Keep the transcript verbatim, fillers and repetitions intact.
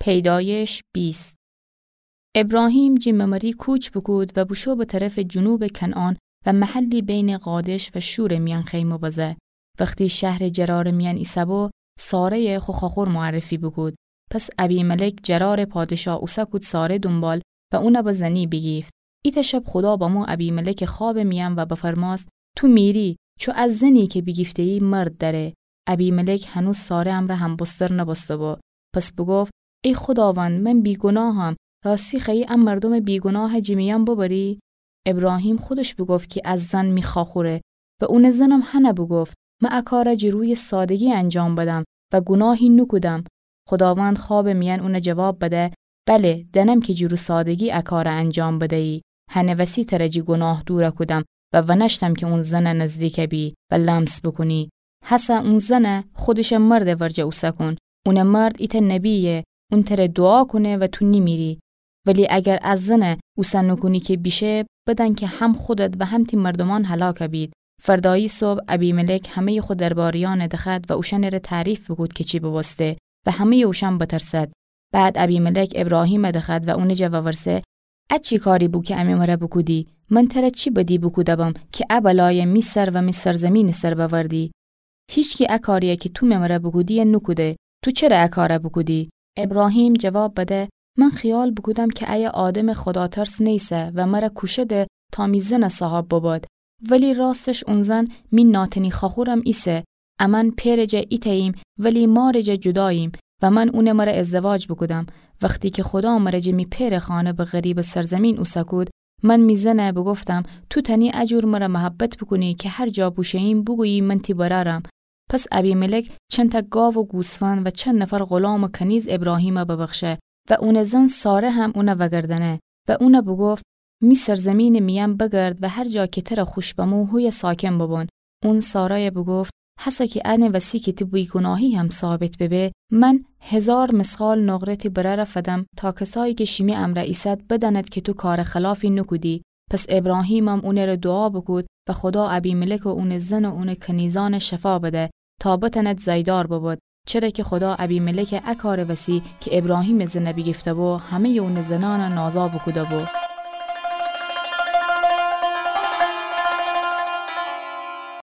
پیدایش بیست. ابراهیم جی ممری کوچ بوکود و بوشو به طرفٚ جنوبٚ کنعان و محلی بینٚ قادش و شورٚ میأن خیمه بزه. وختی شهرٚ جرارٚ میأن ایسه‌بو، ساره‌یه خو خواخور معرفی بوکود. پس ابیملک جرارٚ پادشاه اوسه کود ساره دونبال و اونه به زنی بیگیفت. ایتأ شب خودا بمو ابیملکٚ خوابٚ میأن و بفرمأست: تو میری، چو از زنی کی بیگیفته‌یی مرد دأره. ابیملک هنوز ساره امرأ همبستر نبسته‌بو. پس بوگفت: ای خوداوند، من بیگوناهم، راستی خوأیی ا مردومٚ بیگوناه جی میأن ببری؟ ابراهیم خودش بوگفت کی ا زن می خواخوره و اونٚ زنم هنه بوگفت: من ا کار جی رویٚ سادگی انجام بدم و گوناهی نوکودم. خوداوند خوابٚ میأن اونه جواب بده: بله، دأنم کی جی رو سادگی ا کار انجام بدیی، هنٚ وسی تره جی گوناه دور کودم و ونشتم کی اون زن نزدیک بی و لمس بوکونی. هسه اون زن خودشٚ مردٚ ورجه اوسه کون. اونٚ مرد ایتأ نبییه، اون تره دوعا کونه و تو نیمیری. ولی اگر ا زن اوسه نوکونی کی بیشه، بدأن کی هم خودت و هم تی مردومأن هلاک بید. فردایی صبح ابیملک همه‌یٚ خو درباریأنه دخوأد و اوشأنٚره تعریف بوکود کی چی ببوسته و همه‌یٚ اوشأن بترسد. بعد ابیملک ابراهیمه دخوأد و اونٚ جا وورسه: ا چی کاری بو کی امه مره بوکودی؟ من تره چی بدی بوکوده‌بم کی ا بلایه می سر و می سرزیمینٚ سر بأوردی؟ هیچکی ا کاریی کی تو می مره بوکودی نوکوده. تو چره ا کار بوکودی؟ ابراهیم جواب بده: من خیال بوکودم کی ایه آدمٚ خوداترس نیسه و مره کوشده تا می زن صاحب بباد. ولی راستش اون زن می ناتنی خواخورم ایسه. امأن پئرٚ جا ایتأییم، ولی مارٚ جا جوداییم و من اونٚ مره ازدواج بوکودم. وختی کی خودا مره جٚه می پئرٚ خانه به غریبٚ سرزیمین اوسه کود، من می زنه بوگفتم: تو تأنی ا جور مره محبت بوکونی کی هر جا بوشوییم بوگویی من تی برأرم. پس ابیملک چندتأ گاو و گوسفند و چند نفر غلامٚ کنیز ابراهیمه ببخشه و اونٚ زن ساره هم اونه وأگردأنه و اونه بوگفت: می سرزیمینٚ میأن بگرد و هر جا کی تره خوش بمو هویه ساکن ببون. اون ساره‌یه بوگفت: هسه کی انٚ وسی کی تی بیگوناهی هم ثابت ببه، من هیزار مثقال نقره تی برأره فدم تا کسایی کی شیمی امرأ ایسد بدأند کی تو کارٚ خلافی نوکودی. پس ابراهیمم اونٚره دوعا بوکود و خودا ابیملک و اونٚ زن و اونٚ کنیزأنه شفا بده تا بتأند زأیدار ببد، چره کی خودا ابیملکٚ ا کارٚ وسی کی ابراهیمٚ زنه بیگیفته‌بو همه‌یٚ اونٚ زنأنه نازا بوکوده‌بو.